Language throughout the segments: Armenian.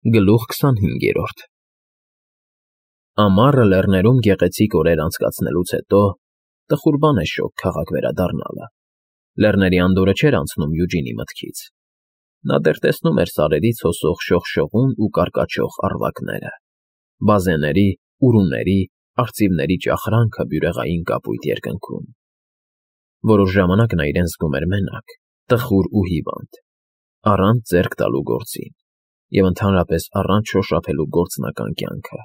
Գլուխ 25 Ամառը լեռներում գեղեցիկ օրեր անցկացնելուց հետո տխուր բան է շոգ քաղաք վերադառնալը, լեռների անդորրը չէր անցնում Յուջինի մտքից, նա դեռ տեսնում էր սարերից հոսող շողշողուն ու կարկաչող առվակները, բազեների, ուրուների, արծիվների ճախրանքը բյուրեղային կապույտ երկնքում, որոշ ժամանակ նա իրեն զգում էր մենակ, տխուր ու հիվանդ, առանց ձեռք տալու գործին և ընդհանրապես առանց շոշափելու գործնական կյանքը։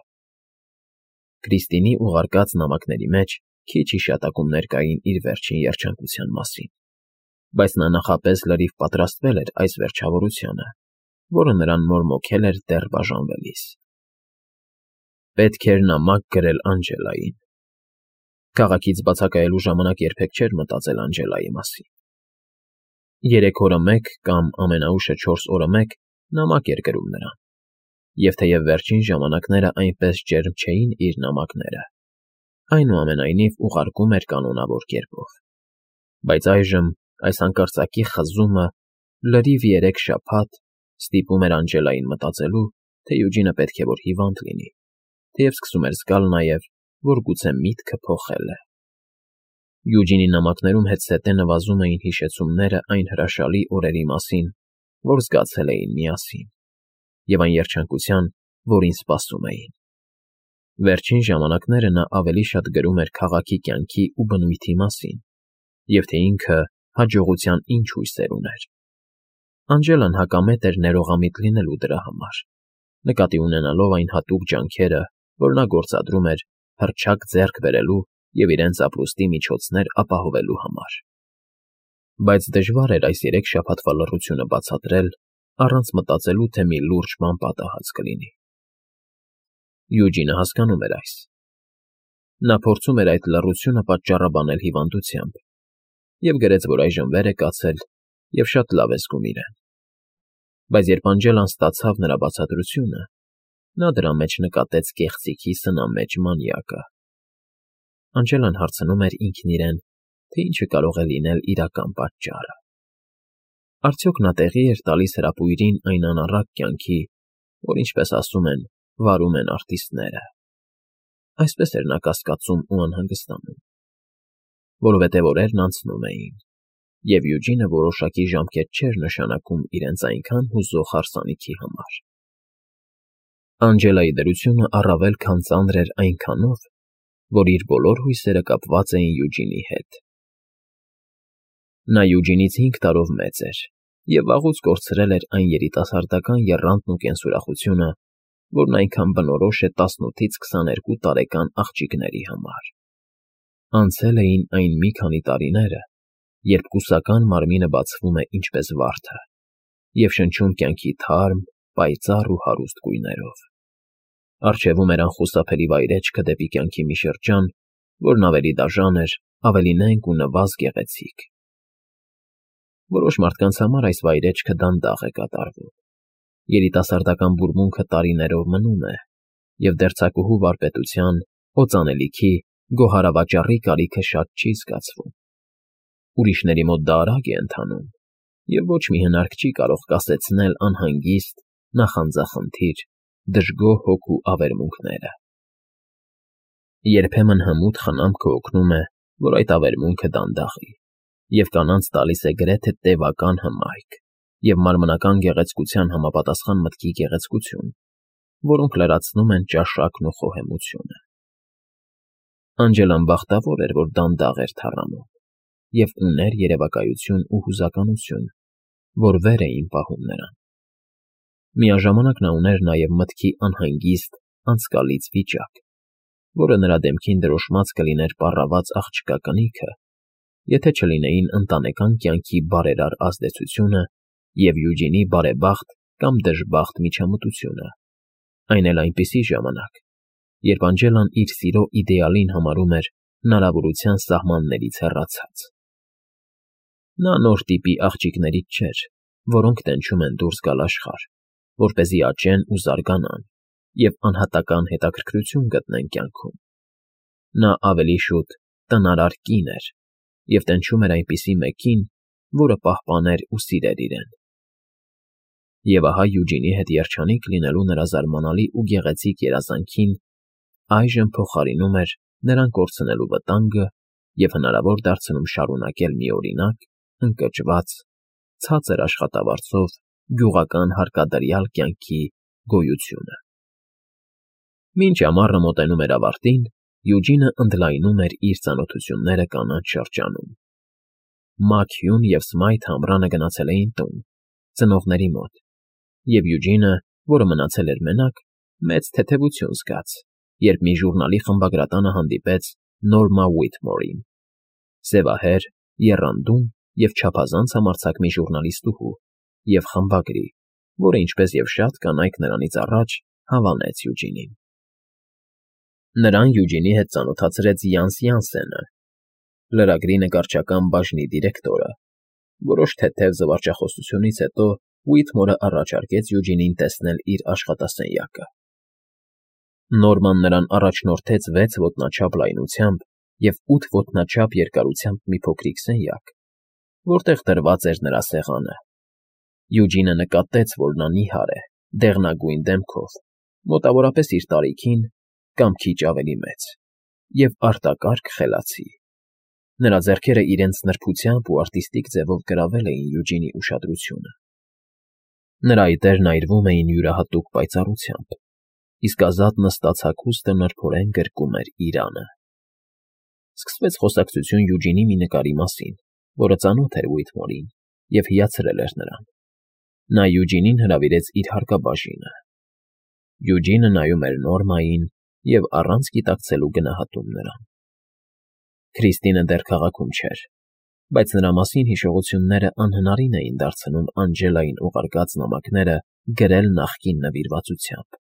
Կրիստինի ուղարկած նամակների մեջ քիչ հիշատակումներ կային իր վերջին երջանկության մասին, բայց նա նախապես լրիվ պատրաստվել էր այս վերջավորությանը, որը նրան մորմոքել էր դեռ բաժանվելիս։ Պետք էր նամակ գրել Անջելային։ Քաղաքից բացակայելու ժամանակ երբեք չէր մտածել Անջելայի մասին։ 3 օրը մեկ կամ ամենաուշը 4 օրը մեկ նամակ էր գրում նրան, և թեև վերջին ժամանակները այնպես ջերմ չէին իր նամակները, այնուամենայնիվ ուղարկում էր կանոնավոր կերպով, բայց այժմ այս հանկարծակի խզումը լրիվ 3 շաբաթ ստիպում էր Անջելային մտածելու, թե Յուջինը պետք է որ հիվանդ լինի, թեև սկսում էր զգալ նաև, որ գուցե միտքը փոխել է։ Յուջինի նամակներում հետզհետե նվազում էին հիշեցումները այն հրաշալի օրերի մասին, որ զգացել էին միասին, և այն երջանկության, որին սպասում էին։ Վերջին ժամանակները նա ավելի շատ գրում էր քաղաքի կյանքի ու բնույթի մասին, և թե ինքը հաջողության ինչ հույսեր ուներ։ Անջելան հակամետ էր ներողամիտ լինելու դրա համար, նկատի ունենալով այն հատուկ ջանքերը, որ նա գործադրում էր հռչակ ձեռք բերելու և իրենց ապրուստի միջոցներ ապահովելու համար։ Բայց դժվար էր այս 3 շաբաթվա լռությունը բացատրել, առանց մտածելու, թե մի լուրջ բան պատահած կլինի։ Յուջինը հասկանում էր այս։ Նա փորձում էր այդ լռությունը պատճառաբանել հիվանդությամբ և գրեց, որ այժմ վեր է կացել և շատ լավ է զգում իրեն։ Բայց երբ Անջելան ստացավ նրա բացատրությունը, նա դրա մեջ նկատեց կեղծիքի սնամեջ մանյակը։ Անջելան հարցնում էր ինքն իրեն, թե ինչը կարող է լինել իրական պատճառը։ Արդյոք նա տեղի էր տալիս հրապույրին այն անառակ կյանքի, որ, ինչպես ասում են, վարում են արտիստները։ Այսպես էր նա կասկածում ու անհանգստանում, որովհետև օրերն անցնում էին, և Յուջինը որոշակի ժամկետ չէր նշանակում իրենց այնքան հուզող հարսանիքի համար։ Անջելայի դրությունը առավել քան ծանր էր այնքանով, որ իր բոլոր հույսերը կապված էին Յուջինի հետ։ Նա Յուջինից 5 տարով մեծ էր և վաղուց կորցրել էր այն երիտասարդական եռանդն ու կենսուրախությունը, որն այնքան բնորոշ է 18-ից 22 տարեկան աղջիկների համար։ Անցել էին այն մի քանի տարիները, երբ կուսական մարմինը բացվում է ինչպես վարդը և շնչում կյանքի թարմ, պայծառ ու հարուստ գույներով։ Առջևում էր անխուսափելի վայրէջքը դեպի կյանքի մի շրջան, որն ավելի դաժան էր, ավելի նենգ ու նվազ գեղեցիկ։ Որոշ մարդկանց համար այս վայրէջքը դանդաղ է կատարվում։ Երիտասարդական բուրմունքը տարիներով մնում է, և դերձակուհու վարպետության, օծանելիքի, գոհարավաճառի կարիքը շատ չի զգացվում։ Ուրիշների մոտ դա արագ է ընթանում, և ոչ մի հնարք չի կարող կասեցնել անհանգիստ, նախանձախնդիր, դժգոհ հոգու ավերմունքները։ Երբեմն հմուտ խնամքը օգնում է, որ այդ ավերմունքը դանդաղի, և կանանց տալիս է գրեթե տևական հմայք և մարմնական գեղեցկության համապատասխան մտքի գեղեցկություն, որոնք լրացնում են ճաշակն ու խոհեմությունը։ Անջելան բախտավոր էր, որ դանդաղ էր թառամում և ուներ երևակայություն ու հուզականություն, որ վեր էին պահում նրան։ Միաժամանակ նա ուներ նաև մտքի անհանգիստ, անցկալից վիճակ, որը նրա դեմքին դրոշմած կլիներ պառաված աղջկա կնիքը, եթե չլինեին ընտանեկան կյանքի բարերար ազդեցությունը և Յուջինի բարեբախտ կամ դժբախտ միջամտությունը, այն էլ այնպիսի ժամանակ, երբ Անջելան իր սիրո իդեալին համարում էր հնարավորության սահմաններից հեռացած։ Նա նոր տիպի աղջիկներից չէր, որոնք տենչում են դուրս գալ աշխարհ, որպեսզի աճեն ու զարգանան և անհատական հետաքրքրություն գտնեն կյանքում։ Նա ավելի շուտ տնարար կին էր և տենչում էր այնպիսի մեկին, որը պահպաներ ու սիրեր իրեն։ Եվ ահա Յուջինի հետ երջանիկ լինելու նրա զարմանալի ու գեղեցիկ երազանքին այժմ փոխարինում էր նրան կորցնելու վտանգը և հնարավոր դարձնում շարունակել միօրինակ, ընկճված, ցածր աշխատավարձով գյուղական հարկադրյալ կյանքի գոյությունը։ Մինչ ամառը մոտենում էր ավարտին, Յուջինը ընդլայնում էր իր ծանոթությունները կանանչ շրջանում։ Մաքյուն և Սմայթ ամռանը գնացել էին տուն, ծնողների մոտ, և Յուջինը, որը մնացել էր մենակ, մեծ թեթևություն զգաց, երբ մի ժուրնալի խմբագրատանը հանդիպեց Նորմա Ուիթմորին, սևահեր, եռանդուն և չափազանց համարձակ մի ժուրնալիստուհու և խմբագրի, որը, ինչպես և շատ կանայք նրանից առաջ, հավանեց Յուջինին։ Նրան Յուջինի հետ ծանոթացրեց Յանս Յանսենը, լրագրի նկարչական բաժնի դիրեկտորը։ Որոշ թեթև զվարճախոսությունից հետո Ուիթմորը առաջարկեց Յուջինին տեսնել իր աշխատասենյակը։ Նորման նրան առաջնորդեց 6 ոտնաչափ լայնությամբ և 8 ոտնաչափ երկարությամբ մի փոքրիկ սենյակ, որտեղ դրված էր նրա սեղանը։ Յուջինը նկատեց, որ նա նիհար է, դեղնագույն դեմքով, մոտավորապես իր տարիքին կամ քիչ ավելի մեծ, և արտակարգ խելացի։ Նրա ձեռքերը իրենց նրբությամբ ու արտիստիկ ձևով գրավել էին Յուջինի ուշադրությունը։ Նրա այտերն այրվում էին յուրահատուկ պայծառությամբ, իսկ ազատ նստած հագուստը նրբորեն գրկում էր իրանը։ Սկսվեց խոսակցություն Յուջինի մի նկարի մասին, որը ծանոթ էր Ուիթմորին և հիացրել էր նրան։ Նա Յուջինին հրավիրեց իր հարկաբաժինը։ Յուջինը նայում էր Նորմային և առանց գիտակցելու գնահատում նրան։ Քրիստինը դեռ քաղաքում չէր, բայց նրա մասին հիշողությունները անհնարին էին դարձնում Անջելային ուղարկած նամակները գրել նախկին նվիրվածությամբ։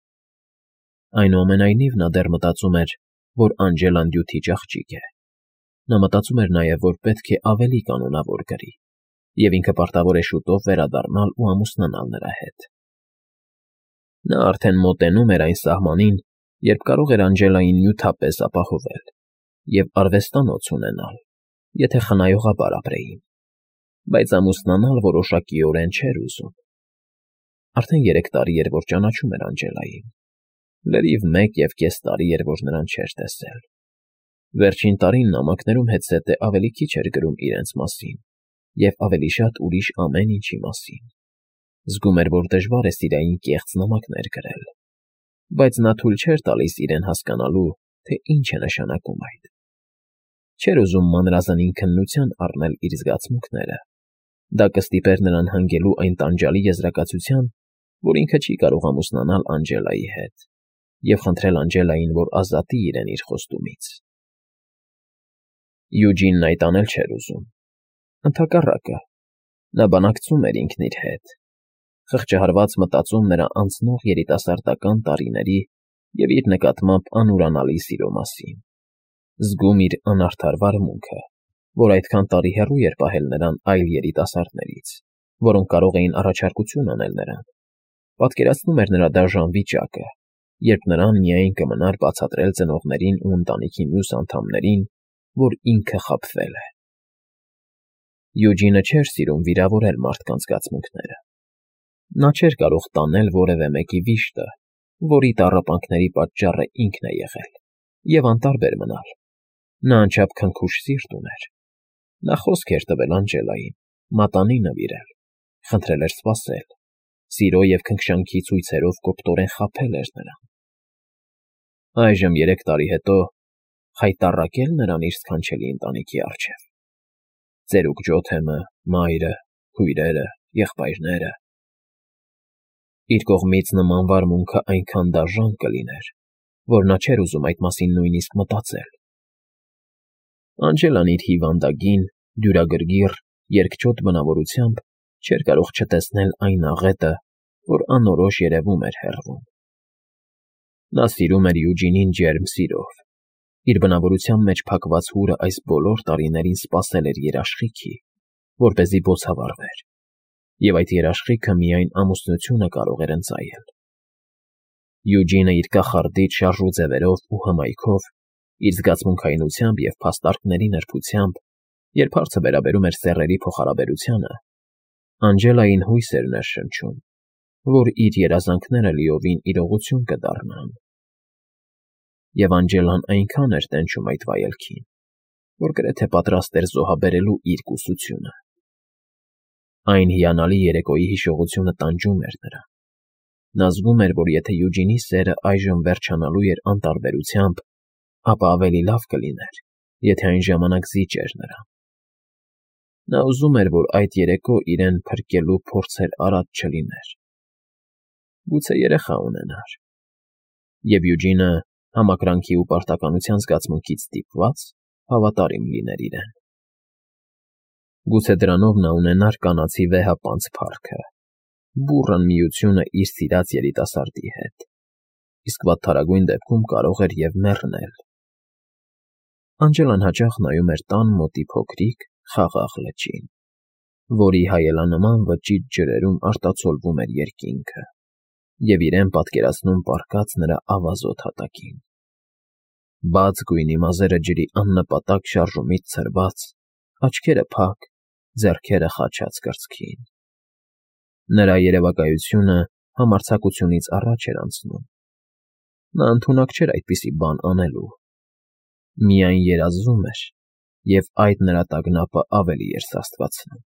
Այնուամենայնիվ նա դեռ մտածում էր, որ Անջելան դյութիչ աղջիկ է։ Նա մտածում էր նաև, որ պետք է ավելի կանոնավոր գրի, և ինքը պարտավոր է շուտով վերադառնալ ու ամուսնանալ նրա հետ։ Նա արդեն մոտենում էր այն սահմանին, երբ կարող էր Անջելային նյութապես ապահովել և արվեստանոց ունենալ, եթե խնայողաբար ապրեին, բայց ամուսնանալ որոշակիորեն չէր ուզում։ Արդեն 3 տարի էր, որ ճանաչում էր Անջելային, լրիվ 1.5 տարի էր, որ նրան չէր տեսել։ Վերջին տարին նամակներում հետզհետե ավելի քիչ էր գրում իրենց մասին և ավելի շատ ուրիշ ամեն ինչի մասին։ Զգում էր, որ դժվար է սիրային կեղծ նամակներ գրել, բայց նա թույլ չէր տալիս իրեն հասկանալու, թե ինչ է նշանակում այդ։ Չէր ուզում մանրազնին քննության առնել իր զգացմունքները։ Դա կստիպեր նրան հանգելու այն տանջալի եզրակացության, որ ինքը չի կարող ամուսնանալ Անջելայի հետ, և խնդրել Անջելային, որ ազատի իրեն իր խոստումից։ Յուջինն այդ անել չէր ուզում։ Ընդհակառակը, նա բանակցում էր ինքն իր հետ, խղճահարված մտածում նրա անցնող երիտասարդական տարիների և իր նկատմամբ անուրանալի սիրո մասին, զգում իր անարդար վարմունքը, որ այդքան տարի հեռու էր պահել նրան այլ երիտասարդներից, որոնք կարող էին առաջարկություն անել նրան, պատկերացնում էր նրա դաժան վիճակը, երբ նրան միայն կմնար բացատրել ծնողներին ու ընտանիքի մյուս անդամներին, որ ինքը խաբվել է։ Յուջինը չէր սիրում վիրավորել մարդկանց զգացմունքները։ Նա չէր կարող տանել որևէ մեկի վիշտը, որի տառապանքների պատճառը ինքն է եղել, և անտարբեր մնալ։ Նա անչափ քնքուշ սիրտ ուներ։ Նա խոսք էր տվել Անջելային, մատանի նվիրել, խնդրել էր սպասել, սիրո և քնքշանքի ցույցերով կոպտորեն խաբել էր նրան։ Այժմ 3 տարի հետո խայտառակե՞լ նրան իր սքանչելի ընտանիքի առջև։ Ծերուկ Ջոթեմը, մայրը, քույրերը, եղբայրները… Իր կողմից նման վարմունքը այնքան դաժան կլիներ, որ նա չէր ուզում այդ մասին նույնիսկ մտածել։ Անջելան իր հիվանդագին, դյուրագրգիռ, երկչոտ բնավորությամբ չէր կարող չտեսնել այն աղետը, որ անորոշ երևում էր հեռվում։ Նա սիրում էր Յուջինին ջերմ սիրով։ Իր բնավորության մեջ փակված հուրը այս բոլոր տարիներին սպասել էր երաշխիքի, որպեսզի բոցավառվեր, և այդ երաշխիքը միայն ամուսնությունը կարող էր ընծայել։ Յուջինը իր կախարդիչ շարժու ձևերով ու հմայքով, իր զգացմունքայնությամբ և փաստարկների նրբությամբ, երբ հարցը վերաբերում էր սեռերի փոխհարաբերությանը, Անջելային հույս էր ներշնչում, որ իր երազանքները լիովին իրողություն կդառնան։ Եվ Անջելան այնքան էր տենչում այդ վայելքին, որ գրեթե պատրաստ էր զոհաբերելու իր կուսությունը։ Այն հիանալի երեկոյի հիշողությունը տանջում էր նրան։ Նա զգում էր, որ եթե Յուջինի սերը այժմ վերջանալու էր անտարբերությամբ, ապա ավելի լավ կլիներ, եթե այն ժամանակ զիջեր նրան։ Նա ուզում էր, որ այդ երեկո իրեն փրկելու փորձեր արած չլիներ։ Գուցե երեխա ունենար։ Եվ Յուջինը, համակրանքի ու պարտականության զգացմունքից ստիպված, հավատարիմ լիներ իրեն։ Գուցե դրանով նա ունենար կանացի վեհապանծ փառքը, բուռն միությունը իր սիրած երիտասարդի հետ, իսկ վատթարագույն դեպքում կարող էր և մեռնել։ Անջելան հաճախ նայում էր տան մոտի փոքրիկ, խաղաղ լճին, որի հայելանման վճիտ ջրերում արտացոլվում էր երկինքը, և իրեն պատկերացնում պառկած նրա ավազոտ հատակին։ Բաց գույնի մազերը ջրի աննպատակ շարժումից ցրված, աչքերը փակ, ձեռքերը խաչած կրծքին։ Նրա երևակայությունը համարձակությունից առաջ էր անցնում։ Նա ընդունակ չէր այդպիսի բան անելու։ Միայն երազում էր, և այդ նրա տագնապը ավելի էր սաստկացնում։